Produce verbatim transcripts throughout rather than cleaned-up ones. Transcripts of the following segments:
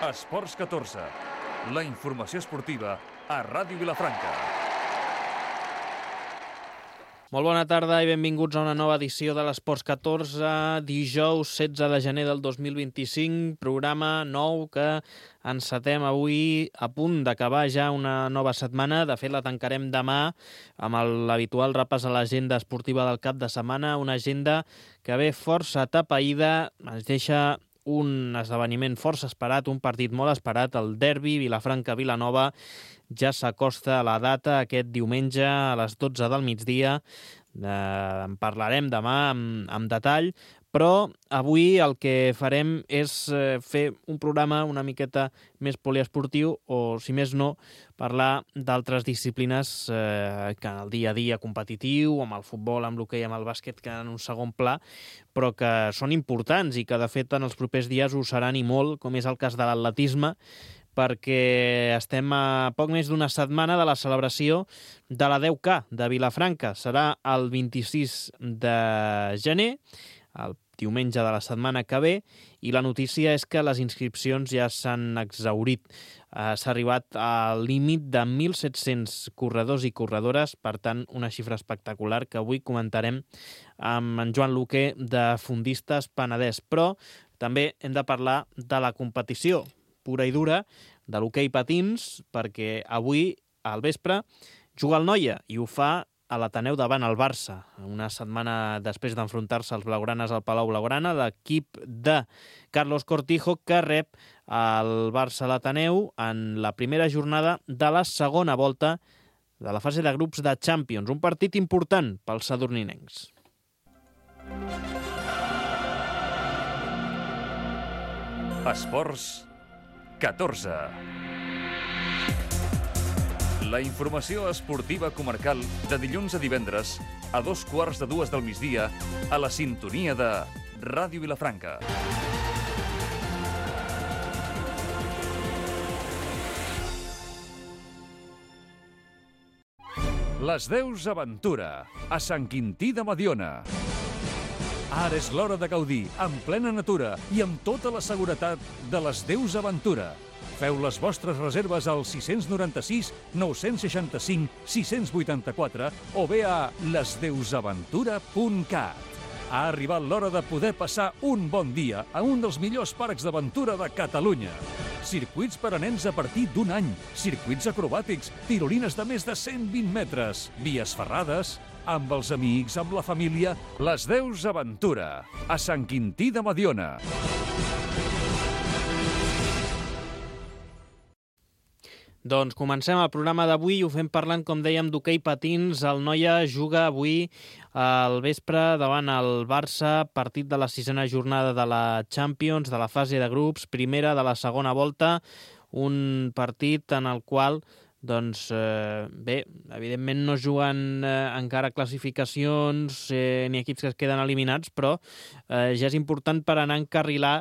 Esports catorze, la informació esportiva a Ràdio Vilafranca. Molt bona tarda i benvinguts a una nova edició de l'Esports catorze, dijous setze de gener del dos mil vint-i-cinc, programa nou que encetem avui a punt d'acabar ja una nova setmana. De fet, la tancarem demà amb l'habitual repàs a l'agenda esportiva del cap de setmana, una agenda que ve força atapeïda, ens deixa un esdeveniment força esperat, un partit molt esperat, el derbi Vilafranca-Vilanova. Ja s'acosta la data aquest diumenge a les dotze del migdia. Eh, en parlarem demà amb, amb detall, però avui el que farem és eh, fer un programa una miqueta més poliesportiu o, si més no, parlar d'altres disciplines eh, que en el dia a dia competitiu, amb el futbol, amb l'hoquei, amb el bàsquet, que en un segon pla, però que són importants i que, de fet, en els propers dies ho seran i molt, com és el cas de l'atletisme, perquè estem a poc més d'una setmana de la celebració de la deu K de Vilafranca. Serà el vint-i-sis de gener, el diumenge de la setmana que ve, i la notícia és que les inscripcions ja s'han exhaurit. Eh, s'ha arribat al límit de mil set-cents corredors i corredores, per tant, una xifra espectacular que avui comentarem amb en Joan Luque de Fundistes Penedès. Però també hem de parlar de la competició pura i dura, de l'hoquei patins, perquè avui, al vespre, juga el Noia, i ho fa a l'Ateneu davant el Barça. Una setmana després d'enfrontar-se als blaugranes al Palau Blaugrana, l'equip de Carlos Cortijo, que rep el Barça a l'Ateneu en la primera jornada de la segona volta de la fase de grups de Champions. Un partit important pels sadurninencs. Esports catorze. La informació esportiva comarcal de dilluns a divendres a dos quarts de dues del migdia a la sintonia de Ràdio Vilafranca. Les Deus Aventura, a Sant Quintí de Mediona. Ara és l'hora de gaudir, en plena natura i amb tota la seguretat de les Deus Aventura. Feu les vostres reserves al sis nou sis, nou seixanta cinc, sis vuitanta-quatre o bé a les deus aventura punt cat. Ha arribat l'hora de poder passar un bon dia a un dels millors parcs d'aventura de Catalunya. Circuits per a nens a partir d'un any, circuits acrobàtics, tirolines de més de cent vint metres, vies ferrades, amb els amics, amb la família, les Deus Aventura, a Sant Quintí de Mediona. Doncs comencem el programa d'avui i ho fem parlant, com dèiem, d'hoquei patins. El Noia juga avui al vespre davant el Barça, partit de la sisena jornada de la Champions, de la fase de grups, primera de la segona volta, un partit en el qual, doncs, eh, bé, evidentment no juguen eh, encara classificacions eh, ni equips que es queden eliminats, però eh, ja és important per anar a encarrilar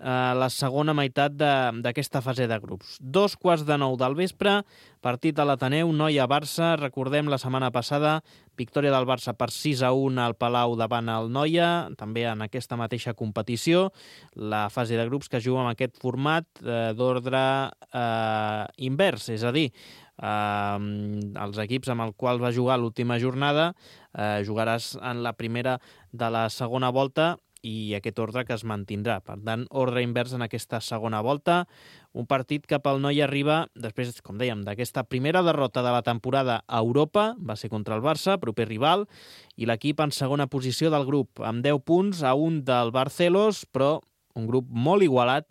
la segona meitat d'aquesta fase de grups. Dos quarts de nou del vespre, partit a l'Ateneu, Noia-Barça. Recordem la setmana passada, victòria del Barça per sis a un al Palau davant el Noia, també en aquesta mateixa competició. La fase de grups que juga amb aquest format eh, d'ordre eh, invers, és a dir, eh, els equips amb els quals va jugar l'última jornada eh, jugaràs en la primera de la segona volta i aquest ordre que es mantindrà. Per tant, ordre invers en aquesta segona volta. Un partit que pel Noia arriba, després, com dèiem, d'aquesta primera derrota de la temporada a Europa, va ser contra el Barça, proper rival, i l'equip en segona posició del grup, amb deu punts a un del Barcelos, però un grup molt igualat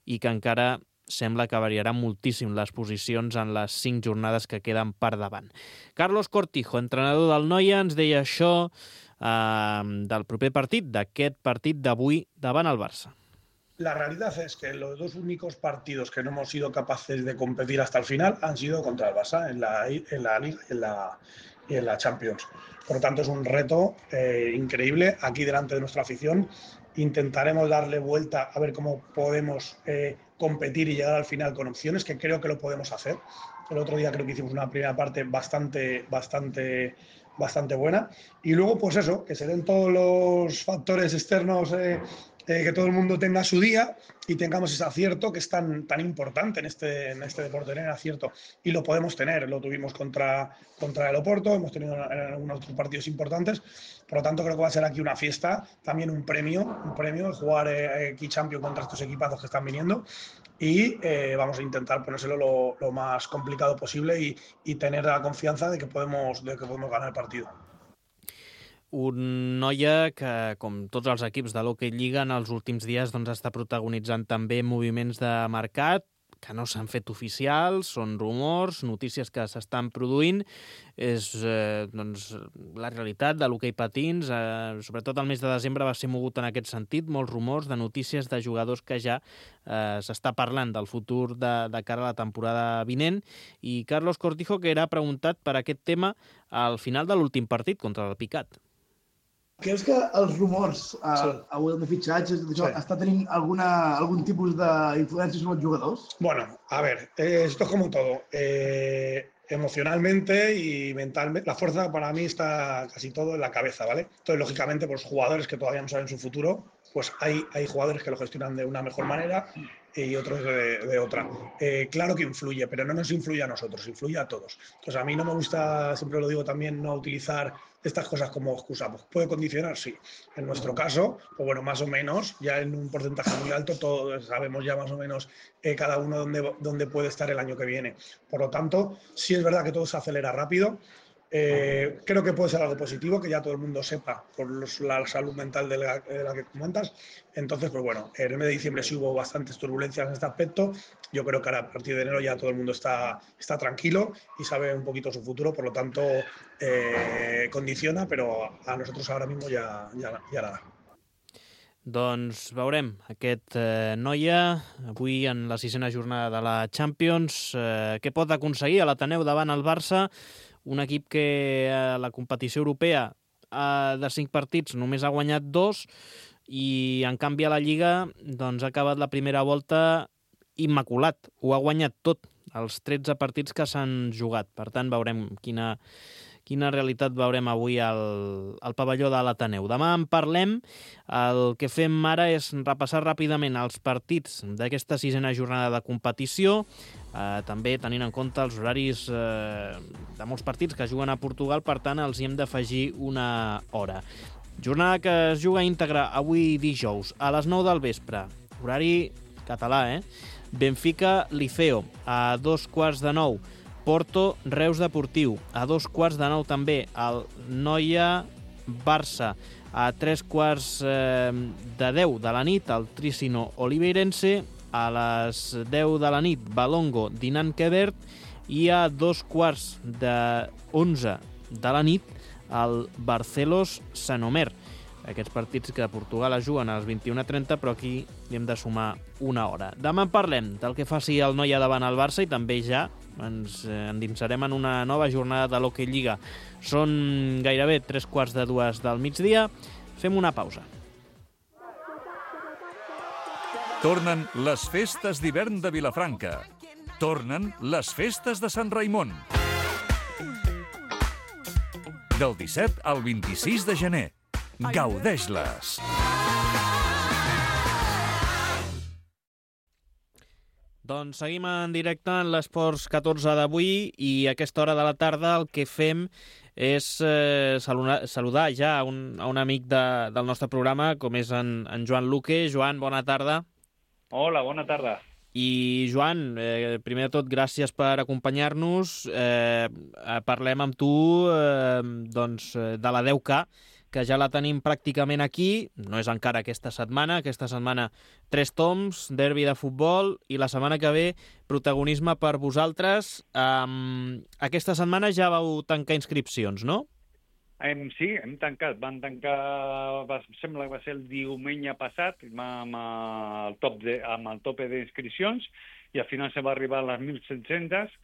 i que encara sembla que variarà moltíssim les posicions en les cinc jornades que queden per davant. Carlos Cortijo, entrenador del Noia, ens deia això Uh, del proper partit, d'aquest partit d'avui davant el Barça. La realidad es que los dos únicos partidos que no hemos sido capaces de competir hasta el final han sido contra el Barça en la, en la Liga y en la, y en la Champions. Por lo tanto, es un reto eh, increíble aquí delante de nuestra afición. Intentaremos darle vuelta a ver cómo podemos eh, competir y llegar al final con opciones, que creo que lo podemos hacer. El otro día creo que hicimos una primera parte bastante, bastante, bastante buena. Y luego, pues eso, que se den todos los factores externos eh, eh, que todo el mundo tenga su día y tengamos ese acierto que es tan, tan importante en este, en este deporte, tener acierto. Y lo podemos tener, lo tuvimos contra, contra el Oporto, hemos tenido en algunos otros partidos importantes, por lo tanto creo que va a ser aquí una fiesta, también un premio, un premio, jugar eh, Key Champions contra estos equipazos que están viniendo y eh, vamos a intentar ponérselo lo, lo más complicado posible y, y tener la confianza de que podemos, de que podemos ganar el partido. Un Noia que, com tots els equips de l'Hockey Lliga, en els últims dies doncs, està protagonitzant també moviments de mercat que no s'han fet oficials, són rumors, notícies que s'estan produint. És eh, doncs, la realitat de l'hoquei patins. Eh, sobretot el mes de desembre va ser mogut en aquest sentit, molts rumors de notícies de jugadors que ja eh, s'està parlant del futur de, de cara a la temporada vinent. I Carlos Cortijo, que era preguntat per aquest tema al final de l'últim partit contra el Picat. Creus que els rumors a, sí. a web de fitxatges sí. està tenint alguna, algún tipus d'influència sobre els jugadors? Bueno, a ver, eh, esto es como todo. Eh, emocionalmente y mentalmente, la fuerza para mí está casi todo en la cabeza, ¿vale? Entonces, lógicamente, pues jugadores que todavía no saben su futuro, pues hay, hay jugadores que lo gestionan de una mejor manera y otros de, de otra. Eh, claro que influye, pero no nos influye a nosotros, influye a todos. Entonces, a mí no me gusta, siempre lo digo también, no utilizar estas cosas como excusa. Pues puede condicionar, sí. En nuestro caso, pues bueno, más o menos, ya en un porcentaje muy alto, todos sabemos ya más o menos eh, cada uno dónde, dónde puede estar el año que viene. Por lo tanto, sí es verdad que todo se acelera rápido. Eh, creo que puede ser algo positivo, que ya todo el mundo sepa por los, la salud mental de la, de la que comentas. Entonces, pues bueno, en el mes de diciembre sí hubo bastantes turbulencias en este aspecto. Yo creo que ahora a partir de enero ya todo el mundo está, está tranquilo y sabe un poquito su futuro, por lo tanto eh, condiciona, pero a nosotros ahora mismo ya, ya, ya nada. Doncs veurem aquest eh, Noia avui en la sisena jornada de la Champions. Eh, què pot aconseguir a l'Ateneu davant el Barça? Un equip que a la competició europea eh, de cinc partits només ha guanyat dos i en canvi a la Lliga doncs, ha acabat la primera volta immaculat. Ho ha guanyat tot, els tretze partits que s'han jugat. Per tant, veurem quina, quina realitat veurem avui al, al pavelló de l'Ateneu. Demà en parlem. El que fem ara és repassar ràpidament els partits d'aquesta sisena jornada de competició, eh, també tenint en compte els horaris eh, de molts partits que juguen a Portugal, per tant els hi hem d'afegir una hora. Jornada que es juga íntegra avui dijous a les nou del vespre, horari català, eh? Benfica Liceo a dos quarts de nou, Porto Reus Deportiu a dos quarts de nou també, el Noia Barça a tres quarts eh, de deu de la nit, el Tricino Oliveirense, a les deu de la nit Balongo Dinant Quebert i a dos quarts de onze de la nit el Barcelos Sant Omer. Aquests partits que a Portugal es juguen a les vint-i-una trenta, però aquí hi hem de sumar una hora. Demà en parlem del que faci el Noia davant el Barça i també ja ens endinsarem en una nova jornada de l'Hockey Lliga. Són gairebé tres quarts de dues del migdia. Fem una pausa. Tornen les festes d'hivern de Vilafranca. Tornen les festes de Sant Raimon. Del disset al vint-i-sis de gener. Gaudeix-les! Doncs seguim en directe en l'Esports catorze d'avui i a aquesta hora de la tarda el que fem és eh, saludar, saludar ja a un, a un amic de, del nostre programa, com és en, en Joan Luque. Joan, bona tarda. Hola, bona tarda. I Joan, eh, primer de tot, gràcies per acompanyar-nos. Eh, parlem amb tu eh, doncs, de la deu K, que ja la tenim pràcticament aquí. No és encara aquesta setmana. Aquesta setmana tres toms, derbi de futbol, i la setmana que ve protagonisme per vosaltres. Um, aquesta setmana ja vau tancar inscripcions, no? Hem, sí, hem tancat. Van tancar, va, sembla que va ser el diumenge passat, amb el, top de, amb el tope d'inscripcions, i al final se va arribar a les mil set-centes.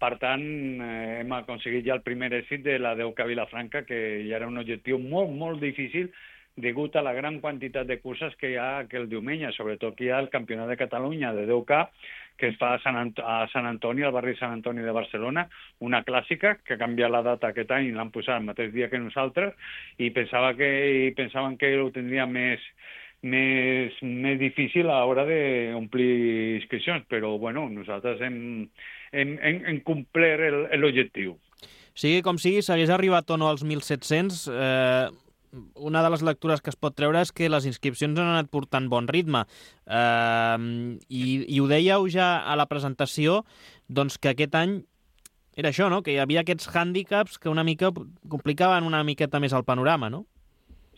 Per tant, eh, hem aconseguit ja el primer èxit de la deu K Vilafranca, que ja era un objectiu molt, molt difícil degut a la gran quantitat de curses que hi ha aquell diumenge. Sobretot que hi ha el Campionat de Catalunya de deu K, que es fa a Sant, Ant a Sant Antoni, al barri Sant Antoni de Barcelona, una clàssica que ha canviat la data aquest any i l'han posat el mateix dia que nosaltres, i pensava que, i pensaven que ho tindria més, més, més difícil a l'hora d'omplir inscripcions, però bueno, nosaltres hem, hem, hem, hem complert l'objectiu. Sigui com sigui, s'hagués arribat o no als mil set-cents, eh, una de les lectures que es pot treure és que les inscripcions han anat portant bon ritme. Eh, i, I ho dèieu ja a la presentació, doncs que aquest any era això, no? Que hi havia aquests hàndicaps que una mica complicaven una miqueta més el panorama, no?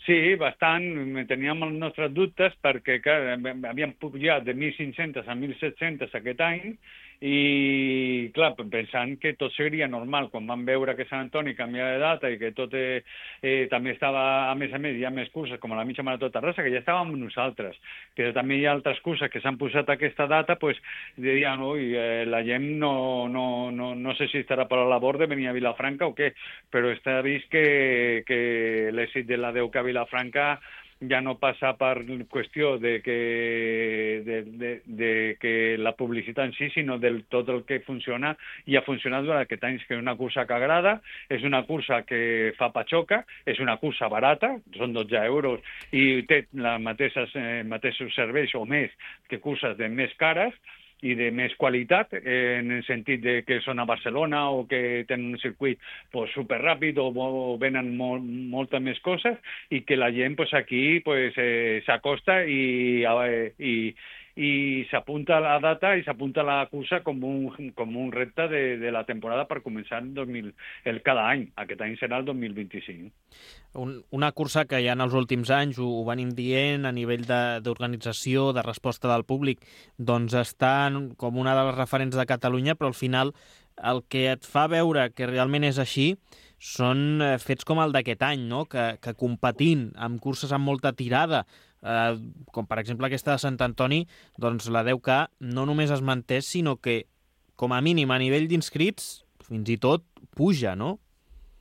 Sí, bastant. Teníem els nostres dubtes perquè clar, havíem pujat de mil cinc-cents a mil set-cents aquest any i, clar, pensant que tot seria normal. Quan vam veure que Sant Antoni canviava de data i que tot eh, eh, també estava, a més a més, hi ha més curses, com a la mitja marató Terrassa, que ja estàvem nosaltres. Però també hi ha altres curses que s'han posat a aquesta data, doncs, dirien, ui, eh, la gent no, no, no, no sé si estarà per la labor de venir a Vilafranca o què, però està vist que, que l'èxit de la deu K a Vilafranca ja no passa per qüestió de que, de, de, de que la publicitat en si, sinó del tot el que funciona i ha funcionat durant aquest any, que és una cursa que agrada, és una cursa que fa patxoca, és una cursa barata, són dotze euros, i té els mateixos, eh, mateixos serveis o més que curses de més cares, i de més qualitat, eh, en el sentit de que són a Barcelona o que tenen un circuit pues, superràpid o, o venen molt, moltes més coses i que la gent pues, aquí pues, eh, s'acosta i, eh, i, i s'apunta a la data i s'apunta a la cursa com un, com un repte de, de la temporada per començar el dos mil, el cada any. Aquest any serà el dos mil vint-i-cinc. Un, una cursa que ja en els últims anys ho, ho venim dient a nivell d'organització, de, de resposta del públic, doncs està com una de les referents de Catalunya, però al final el que et fa veure que realment és així són fets com el d'aquest any, no? que, que competint amb curses amb molta tirada, eh, com per exemple aquesta de Sant Antoni, doncs la deu K no només es manté, sinó que com a mínim a nivell d'inscrits fins i tot puja, no?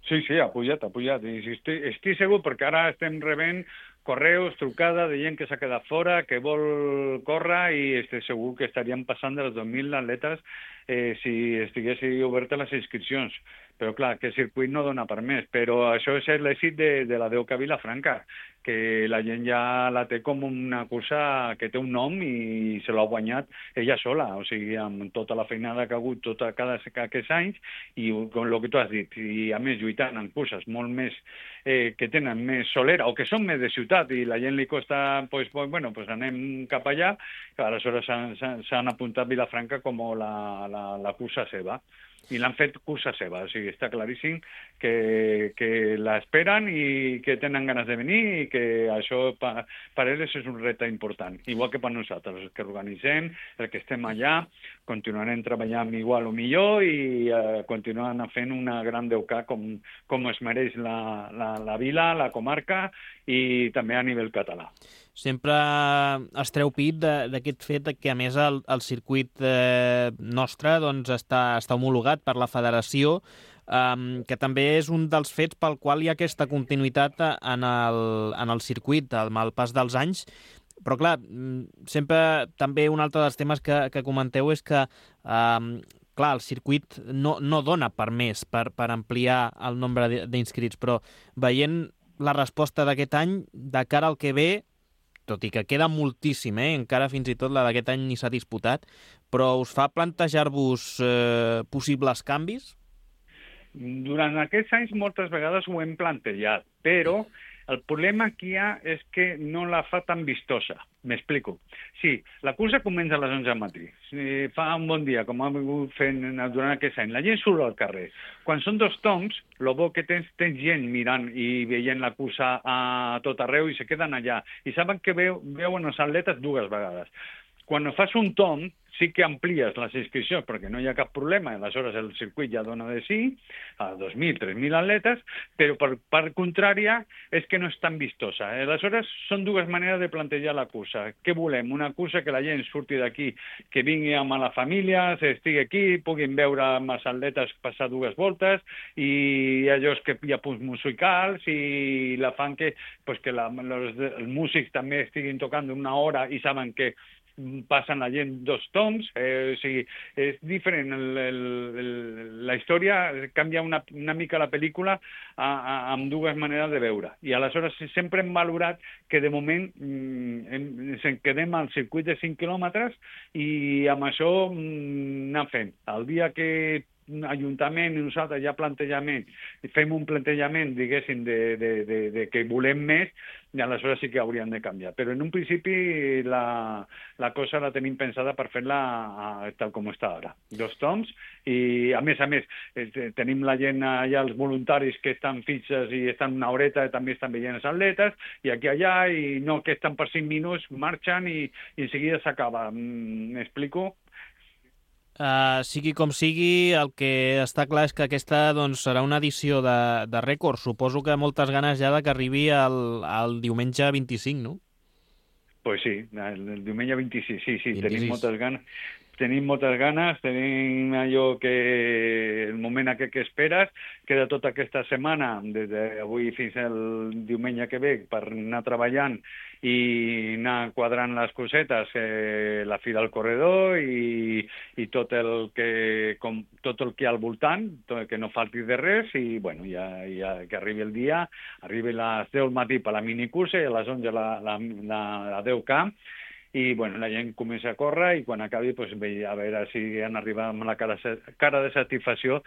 Sí, sí, ha pujat, ha pujat. I estic, estic segur, perquè ara estem rebent correus, trucada de gent que s'ha quedat fora, que vol córrer, i estic segur que estaríem passant de les dos mil atletes eh, si estiguessin obertes les inscripcions. Però clar, que el circuit no dona per més. Però això és l'èxit de, de la deu K a Vilafranca, que la gent ja la té com una cursa que té un nom i se l'ha guanyat ella sola, o sigui, amb tota la feinada que ha hagut tota cada aquests anys i com el que tu has dit, i a més lluitant en curses molt més eh, que tenen més solera o que són més de ciutat i la gent li costa, pues, pues, bueno, pues anem cap allà, aleshores s'han apuntat Vilafranca com la, la, la cursa seva. I l'han fet cursa seva, o sigui, està claríssim que, que l'esperen i que tenen ganes de venir i que això per, per ells és un repte important, igual que per nosaltres, els que organitzem, els que estem allà, continuarem treballant igual o millor i eh, continuarem fent una gran deu K com, com es mereix la, la, la vila, la comarca i també a nivell català. Sempre es treu pit d'aquest fet que, a més, el, el circuit eh, nostre doncs, està, està homologat per la federació, eh, que també és un dels fets pel qual hi ha aquesta continuïtat en el, en el circuit, amb el pas dels anys. Però, clar, sempre també un altre dels temes que, que comenteu és que eh, clar, el circuit no, no dona per més, per, per ampliar el nombre d'inscrits, però veient la resposta d'aquest any, de cara al que ve, tot i que queda moltíssim, eh? Encara fins i tot la d'aquest any ni s'ha disputat, però us fa plantejar-vos eh, possibles canvis? Durant aquests anys moltes vegades ho hem plantejat, però el problema que hi ha és que no la fa tan vistosa. M'explico. Sí, la cursa comença a les onze del matí. Si fa un bon dia, com ha vingut fent durant aquest any, la gent surt al carrer. Quan són dos toms, el bo que tens, tens gent mirant i veient la cursa a tot arreu i se queden allà. I saben que veu, veuen els atletes dues vegades. Quan fas un tom, sí que amplies les inscripcions perquè no hi ha cap problema, aleshores el circuit ja dona de sí, a dos mil, tres mil atletes, però per part contrària és que no és tan vistosa. Aleshores són dues maneres de plantejar la cursa. Què volem? Una cursa que la gent surti d'aquí, que vingui amb la família, estigui aquí, puguin veure amb els atletes passar dues voltes i allò que hi ha punts musicals i la fan que, pues, que la, los, els músics també estiguin tocant una hora i saben que passen la gent dos toms, eh, o sigui, és diferent. El, el, el, la història canvia una, una mica la pel·lícula a, a, amb dues maneres de veure. I aleshores sempre hem valorat que de moment mm, hem, ens quedem al circuit de cinc quilòmetres i amb això mm, anem fent. El dia que Ajuntament i nosaltres ja plantejament, fem un plantejament, diguéssim, de, de, de, de que volem més, i aleshores sí que hauríem de canviar. Però en un principi la, la cosa la tenim pensada per fer-la tal com està ara. Dos toms, i a més a més tenim la gent allà, els voluntaris que estan fixes i estan una horeta, també estan veient els atletes, i aquí allà, i no que estan per cinc minuts, marxen i, i en seguida s'acaba. M'explico? Uh, sigui com sigui, el que està clar és que aquesta doncs, serà una edició de, de rècord. Suposo que moltes ganes ja de que arribi el, el diumenge vint-i-cinc, no? Pues sí, el, el diumenge vint-i-sis, sí, sí, vint-i-sis. Tenim moltes ganes. Tenim moltes ganes, tenim allò que el moment aquest que esperes, queda tota aquesta setmana, des d'avui fins al diumenge que ve, per anar treballant i anar quadrant les cosetes, eh, la fi del corredor i, i tot el que com, tot el que hi ha al voltant, tot, que no falti de res, i bueno, ja, ja que arribi el dia, arribi a les deu del matí per la minicursa i a les onze la, la, la, la deu K, i bueno, la gent comença a córrer i quan acabi pues, a veure si han arribat amb la cara, cara de satisfacció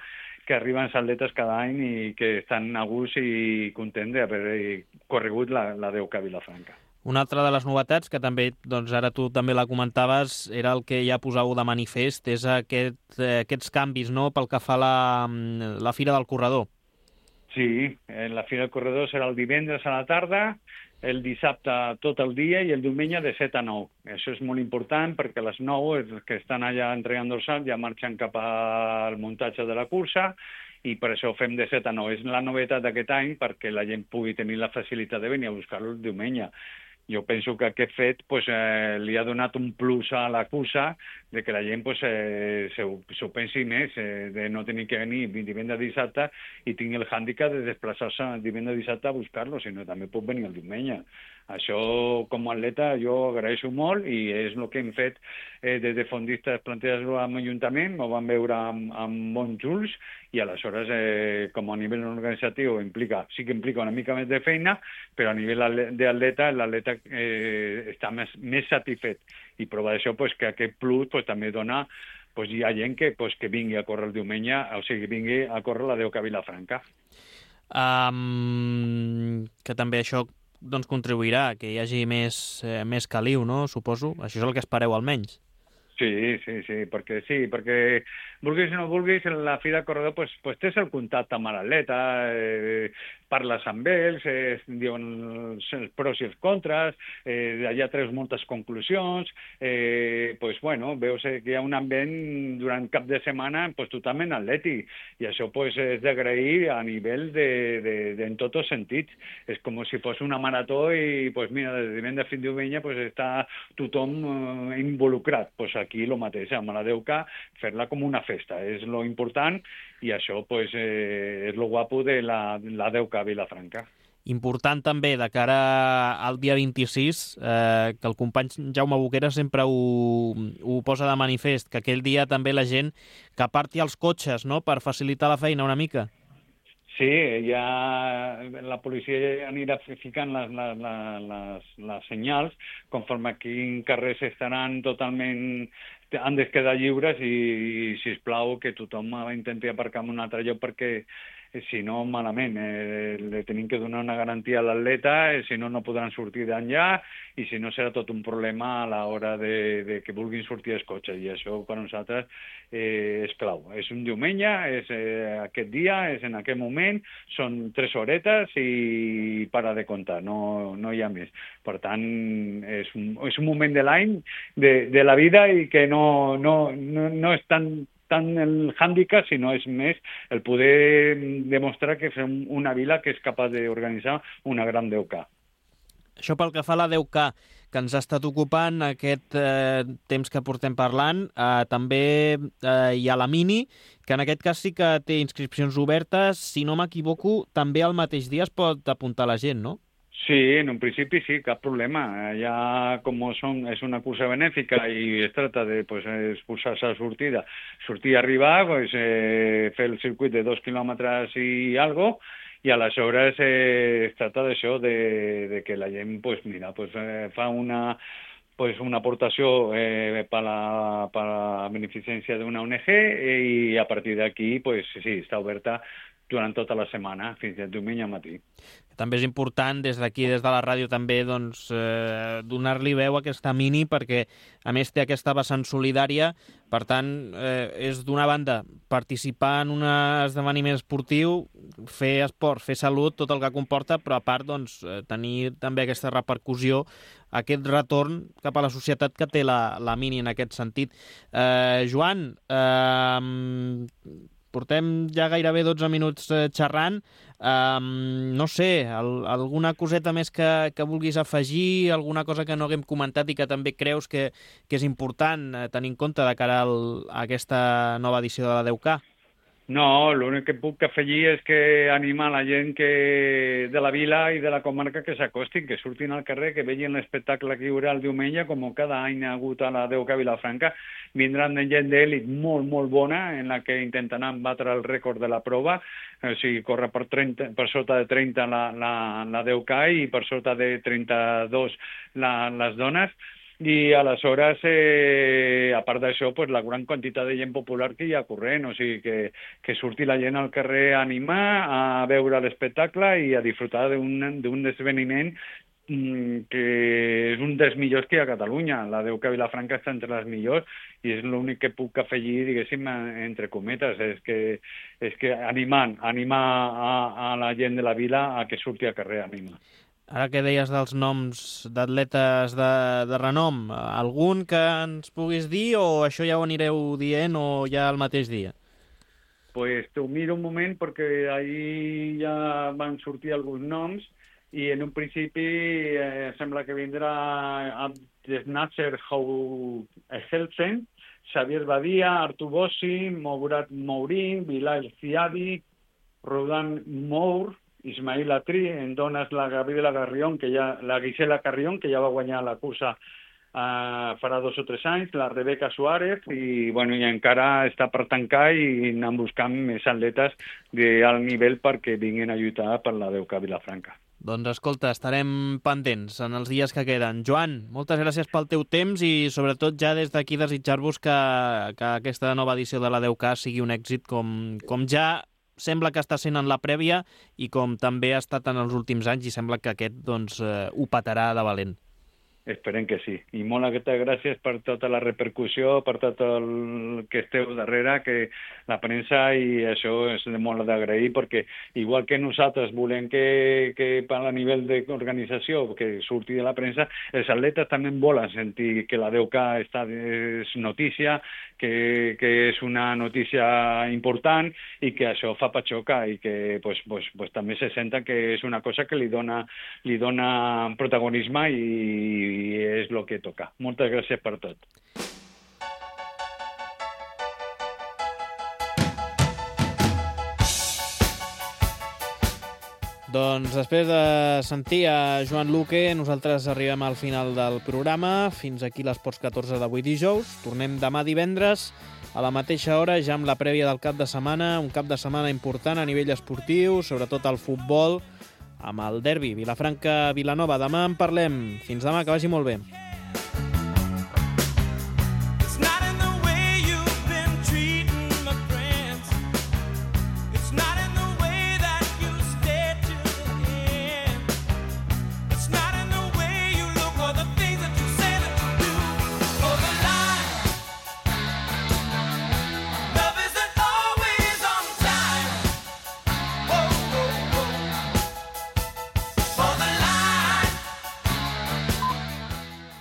que arriben els atletes cada any i que estan a gust i contents d'haver corregut la, la deu K a Vilafranca. Una altra de les novetats, que també, doncs ara tu també la comentaves, era el que ja posau de manifest, és aquest, eh, aquests canvis, no?, pel que fa a la, la Fira del Corredor. Sí, la Fira del Corredor serà el divendres a la tarda, el dissabte tot el dia i el diumenge de set a nou. Això és molt important perquè a les nou els que estan allà entregant dorsal ja marxen cap al muntatge de la cursa i per això ho fem de set a nou. És la novetat d'aquest any perquè la gent pugui tenir la facilitat de venir a buscar-lo el diumenge. Jo penso que aquest fet pues, eh, li ha donat un plus a la cursa de que la gent pues, eh, s'ho pensi més, eh, de no tenir que venir divendres dissabte i tingui el hàndicap de desplaçar-se divendres dissabte a buscar-lo, sinó també pot venir el diumenge. Això, com a atleta, jo agraeixo molt i és el que hem fet eh, des de fondistes plantejar-lo amb l'Ajuntament, ho vam veure amb, amb bons ulls i aleshores, eh, com a nivell organitzatiu, implica, sí que implica una mica més de feina, però a nivell d'atleta, l'atleta eh, està més, més satisfet. I prova d'això pues, que aquest plus pues, també dona pues, hi ha gent que, pues, que vingui a córrer el diumenge, o sigui, vingui a córrer la deu K a Vilafranca. Um, que també això doncs, contribuirà que hi hagi més, eh, més caliu, no? Suposo. Això és el que espereu almenys. Sí, sí, sí, perquè sí, perquè vulguis o no vulguis, la Fira del Corredor pues, pues tens el contacte amb l'atleta, eh, parles amb ells, eh, diuen els, els pros i els contres, eh, allà treus moltes conclusions, eh, pues bueno, veus que hi ha un ambient durant cap de setmana pues, totalment atlètic, i això pues, és d'agrair a nivell de, de, de, en tots els sentits. És com si fos una marató i pues, mira, des de divendres fins diumenge pues, està tothom eh, involucrat. Pues, aquí el mateix, amb la deu K, fer-la com una festa, és lo important, i això pues, eh, és lo guapo de la, la deu K a Vilafranca. Important també, de cara al dia vint-i-sis, eh, que el company Jaume Boquera sempre ho, ho posa de manifest, que aquell dia també la gent que aparti els cotxes, no?, per facilitar la feina una mica. Sí, ja la policia anirà ficant les, les, les, les senyals conforme quins carrers estaran totalment han de quedar lliures i, i sisplau, que tothom intenti aparcar en un altre lloc perquè si no, malament, eh, li tenim que donar una garantia a l'atleta, eh, si no, no podran sortir d'enllà i si no serà tot un problema a l'hora de, de que vulguin sortir els cotxes, i això per nosaltres eh, és clau. És un diumenge, és eh, aquest dia, és en aquest moment, són tres horetes i para de comptar, no, no hi ha més. Per tant, és un, és un moment de l'any, de, de la vida, i que no, no, no, no és tan tant el hàndicap, sinó és més el poder demostrar que som una vila que és capaç d'organitzar una gran deu K. Això pel que fa a la deu K, que ens ha estat ocupant aquest eh, temps que portem parlant, eh, també eh, hi ha la Mini, que en aquest cas sí que té inscripcions obertes. Si no m'equivoco, també al mateix dia es pot apuntar la gent, no? Sí, en un principi sí, cap problema. Ja com són, és una cursa benèfica i es tracta de pues, expulsar-se a sortida, sortir a arribar, pues, eh, fer el circuit de dos quilòmetres i algo, i aleshores eh, es tracta d'això, de, de que la gent pues, mira, pues, eh, fa una, pues, una aportació eh, per la, per la beneficència d'una O N G i a partir d'aquí pues, sí, està oberta durant tota la setmana, fins al diumenge al matí. També és important, des d'aquí, des de la ràdio, també doncs, eh, donar-li veu a aquesta mini, perquè a més té aquesta vessant solidària, per tant, eh, és d'una banda participar en un esdeveniment esportiu, fer esport, fer salut, tot el que comporta, però a part doncs, tenir també aquesta repercussió, aquest retorn cap a la societat que té la, la mini en aquest sentit. Eh, Joan, eh, portem ja gairebé dotze minuts eh, xerrant. Um, no sé, el, alguna coseta més que, que vulguis afegir, alguna cosa que no haguem comentat i que també creus que, que és important eh, tenir en compte de cara al, a aquesta nova edició de la deu K? No, l'únic que puc afegir és que animar la gent que de la vila i de la comarca que s'acostin, que surtin al carrer, que vegin l'espectacle que hi haurà el diumenge, com cada any ha hagut a la deu K Vilafranca. Vindran de gent d'èlit molt, molt bona, en la que intentaran batre el rècord de la prova, o sigui, corre per, trenta, per sota de trenta la, la, la deu K i per sota de trenta-dos la, les dones. I aleshores, eh, a part d'això, pues, la gran quantitat de gent popular que hi ha corrent, o sigui, que, que surti la gent al carrer a animar, a veure l'espectacle i a disfrutar d'un esdeveniment mm, que és un dels millors que hi ha a Catalunya. La deu K Vilafranca està entre les millors i és l'únic que puc afegir, diguéssim, entre cometes, és que, és que animant, animar a, a la gent de la vila a que surti al carrer a animar. Ara que deies dels noms d'atletes de, de renom, algun que ens puguis dir o això ja ho anireu dient o ja el mateix dia? Pues t'ho miro un moment perquè ahir ja van sortir alguns noms i en un principi eh, sembla que vindrà Abdesnasser Helsen, Xavier Badia, Artur Bossi, Mourad Mourin, Bilal Ziadi, Rodan Mour, Ismail Atri, en dones la Gabriela Carrión, que ja, la Gisela Carrión, que ja va guanyar la cursa uh, farà dos o tres anys, la Rebeca Suárez, i, bueno, i encara està per tancar i anem buscant més atletes d'alt nivell perquè vinguin a lluitar per la deu K Vilafranca. Doncs escolta, estarem pendents en els dies que queden. Joan, moltes gràcies pel teu temps i sobretot ja des d'aquí desitjar-vos que, que aquesta nova edició de la deu K sigui un èxit com, com ja sembla que està sent en la prèvia i com també ha estat en els últims anys i sembla que aquest doncs, eh, ho petarà de valent. Esperem que sí. I moltes gràcies per tota la repercussió, per tot el que esteu darrere, que la premsa, i això és de molt d'agrair, perquè igual que nosaltres volem que, que a nivell d'organització que surti de la premsa, els atletes també volen sentir que la deu K està, és notícia, que, que és una notícia important i que això fa patxoca i que pues, pues, pues, també se senta que és una cosa que li dona, li dona protagonisme i i és el que toca. Moltes gràcies per tot. Doncs després de sentir a Joan Luque, nosaltres arribem al final del programa. Fins aquí l'Esports catorze d'avui dijous. Tornem demà divendres a la mateixa hora, ja amb la prèvia del cap de setmana. Un cap de setmana important a nivell esportiu, sobretot al futbol, amb el derbi Vilafranca-Vilanova. Demà en parlem. Fins demà, que vagi molt bé.